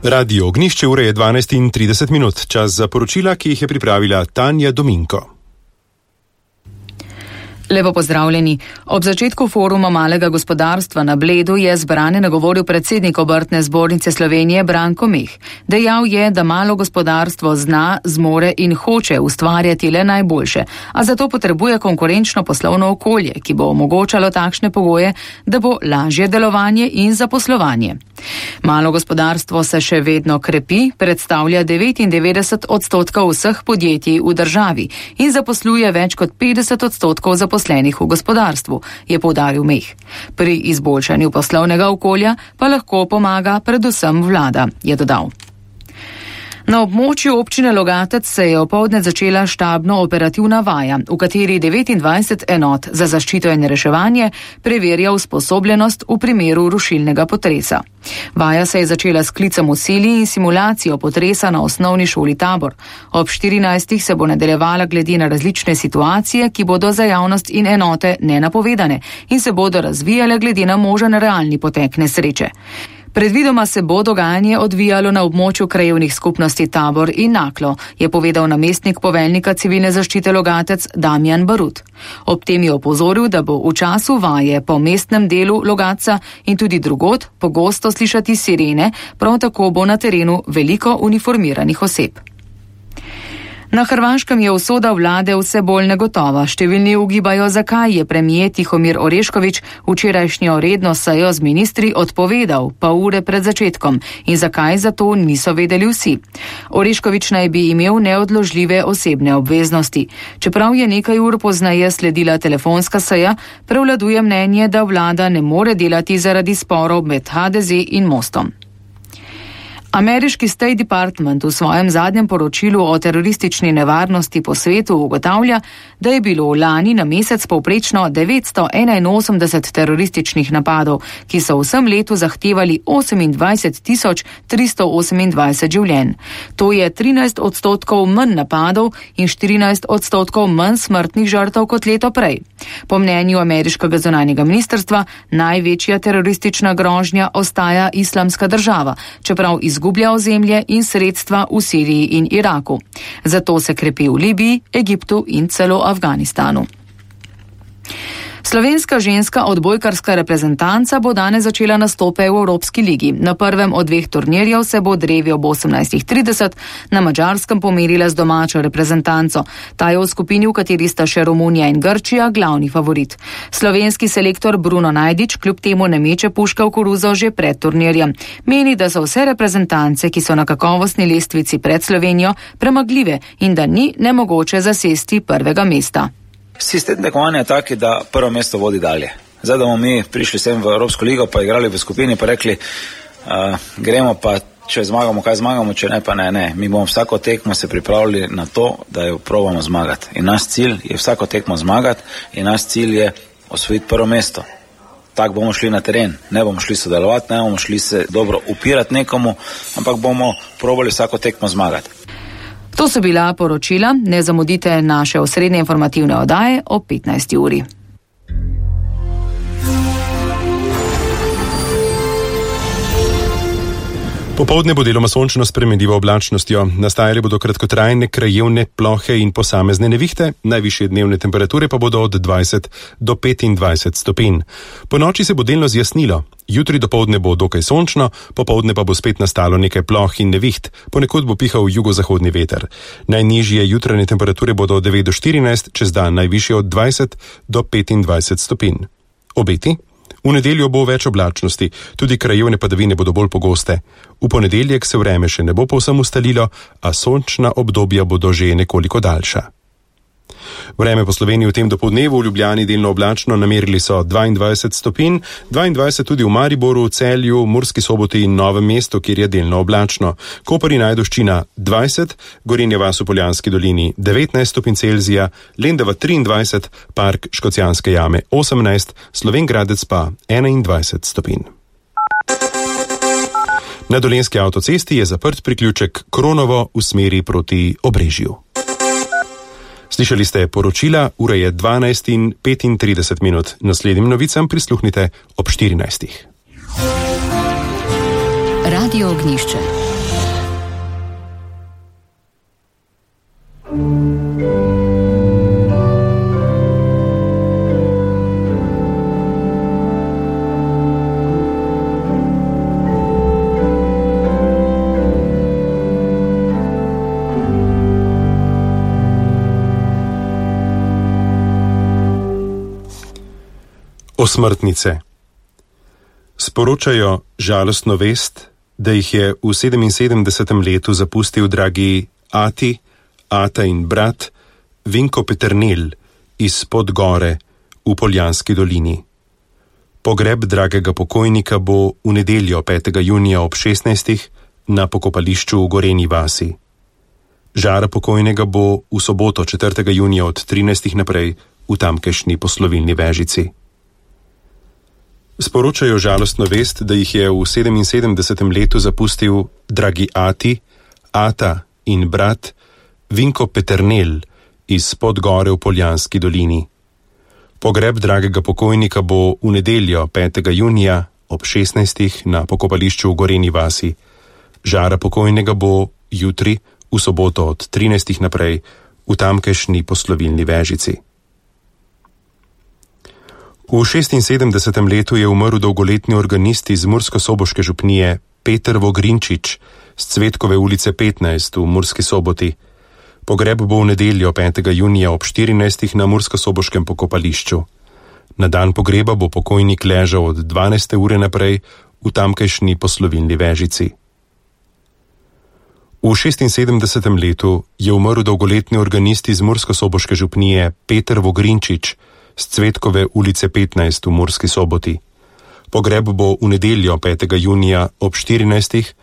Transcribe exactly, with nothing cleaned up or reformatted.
Radio Ognjišče, ura je dvanajst in trideset minut. Čas za poročila, ki jih je pripravila Tanja Dominko. Lepo pozdravljeni. Ob začetku foruma malega gospodarstva na Bledu je zbrane nagovoril predsednik Obrtne zbornice Slovenije Branko Meh. Dejal je, da malo gospodarstvo zna, zmore in hoče ustvarjati le najboljše, a zato potrebuje konkurenčno poslovno okolje, ki bo omogočalo takšne pogoje, da bo lažje delovanje in zaposlovanje. Malo gospodarstvo se še vedno krepi, predstavlja devetindevetdeset odstotkov vseh podjetij v državi in zaposluje več kot petdeset odstotkov zaposlenih v gospodarstvu, je poudaril Meh. Pri izboljšanju poslovnega okolja pa lahko pomaga predvsem vlada, je dodal. Na območju občine Logatec se je opoldne začela štabno operativna vaja, v kateri devetindvajset enot za zaščito in reševanje preverja usposobljenost v primeru rušilnega potresa. Vaja se je začela s klicem v sili in simulacijo potresa na osnovni šoli Tabor. Ob štirinajstih se bo nadaljevala glede na različne situacije, ki bodo za javnost in enote nenapovedane in se bodo razvijale glede na možen realni potek nesreče. Predvidoma se bo dogajanje odvijalo na območju krajevnih skupnosti Tabor in Naklo, je povedal namestnik poveljnika civilne zaščite Logatec Damjan Barut. Ob tem je opozoril, da bo v času vaje po mestnem delu Logatca in tudi drugod pogosto slišati sirene, prav tako bo na terenu veliko uniformiranih oseb. Na Hrvaškem je usoda vlade vse bolj negotova. Številni ugibajo, zakaj je premijer Tihomir Orešković včerajšnjo redno sejo z ministri odpovedal pol ure pred začetkom in zakaj za to niso vedeli vsi. Orešković naj bi imel neodložljive osebne obveznosti. Čeprav je nekaj ur pozneje sledila telefonska seja, prevladuje mnenje, da vlada ne more delati zaradi sporov med ha de ze in Mostom. Ameriški State Department v svojem zadnjem poročilu o teroristični nevarnosti po svetu ugotavlja, da je bilo lani na mesec povprečno devetsto enainosemdeset terorističnih napadov, ki so v vsem letu zahtevali osemindvajset tisoč tristo osemindvajset življenj. To je trinajst odstotkov manj napadov in štirinajst odstotkov manj smrtnih žrtev kot leto prej. Po mnenju ameriškega zunanjega ministrstva največja teroristična grožnja ostaja Islamska država, čeprav iz izgublja ozemlje in sredstva v Siriji in Iraku. Zato se krepi v Libiji, Egiptu in celo Afganistanu. Slovenska ženska odbojkarska reprezentanca bo danes začela nastope v Evropski ligi. Na prvem od dveh turnirjev se bo drevi ob osemnajstih trideset na Madžarskem pomerila z domačo reprezentanco. Ta je v skupini, v kateri sta še Romunija in Grčija, glavni favorit. Slovenski selektor Bruno Najdič kljub temu ne meče puška v koruzo že pred turnirjem. Meni, da so vse reprezentance, ki so na kakovostni lestvici pred Slovenijo, premagljive in da ni nemogoče zasesti prvega mesta. Sistem tekmovanja je taki, da prvo mesto vodi dalje. Zdaj, da bomo mi prišli sem v Evropsko ligo, pa igrali v skupini, pa rekli, uh, gremo pa, če zmagamo, kaj zmagamo, če ne, pa ne, ne. Mi bomo vsako tekmo se pripravili na to, da jo probamo zmagati. In naš cilj je vsako tekmo zmagati in naš cilj je osvojiti prvo mesto. Tako bomo šli na teren, ne bomo šli sodelovati, ne bomo šli se dobro upirati nekomu, ampak bomo probali vsako tekmo zmagati. To so bila poročila, ne zamudite naše osrednje informativne oddaje ob petnajsti uri. Popoldne bo deloma sončno s spremenljivo oblačnostjo. Nastajale bodo kratkotrajne krajevne plohe in posamezne nevihte, najvišje dnevne temperature pa bodo od dvajset do petindvajset stopinj. Po noči se bo delno zjasnilo. Jutri dopoldne bo dokaj sončno, popoldne pa bo spet nastalo nekaj ploh in neviht, ponekod bo pihal jugozahodni veter. Najnižje jutranje temperature bodo od devet do štirinajst, čez dan najvišje od dvajset do petindvajset stopinj. Obeti? V nedeljo bo več oblačnosti, tudi krajevne padavine bodo bolj pogoste. V ponedeljek se vreme še ne bo povsem ustalilo, a sončna obdobja bodo že nekoliko daljša. Vreme po Sloveniji v tem dopoldnevu, v Ljubljani delno oblačno, namerili so dvaindvajset stopinj, dvaindvajset tudi v Mariboru, Celju, Murski Soboti in Novem mestu, kjer je delno oblačno. Koper in Ajdovščina dvajset, Gorenja vas v Poljanski dolini devetnajst stopinj Celzija, Lendava triindvajset, Park Škocjanske jame osemnajst, Slovenj Gradec pa enaindvajset stopinj. Na Dolenjski avtocesti je zaprt priključek Kronovo v smeri proti Obrežju. Slišali ste poročila, ura je dvanajst in petintrideset minut. Naslednjim novicam prisluhnite ob štirinajstih. Radio Ognjišče. Osmrtnice. Sporočajo žalostno vest, da jih je v sedeminsedemdesetem letu zapustil dragi ati, ata in brat Vinko Peternelj iz Podgore v Poljanski dolini. Pogreb dragega pokojnika bo v nedeljo petega junija ob šestnajstih na pokopališču v Gorenji vasi. Žara pokojnega bo v soboto četrtega junija od trinajstih naprej v tamkajšnji poslovilni Vežici. Sporočajo žalostno vest, da jih je v sedeminsedemdesetem letu zapustil dragi ati, ata in brat Vinko Peternelj iz Podgore v Poljanski dolini. Pogreb dragega pokojnika bo v nedeljo petega junija ob šestnajstih na pokopališču v Gorenji vasi. Žara pokojnega bo jutri v soboto od trinajstih naprej v tamkajšnji poslovilni Vežici. V šestinsedemdesetem letu je umrl dolgoletni organist iz murskosoboške župnije Peter Vogrinčič z Cvetkove ulice petnajst v Murski Soboti. Pogreb bo v nedeljo petega junija ob štirinajstih na murskosoboškem pokopališču. Na dan pogreba bo pokojnik ležal od dvanajste ure naprej v tamkajšnji poslovilni Vežici. V šestinsedemdesetem letu je umrl dolgoletni organist iz murskosoboške župnije Peter Vogrinčič z Cvetkove ulice petnajst v Murski Soboti. Pogreb bo v nedeljo petega junija ob štirinajstih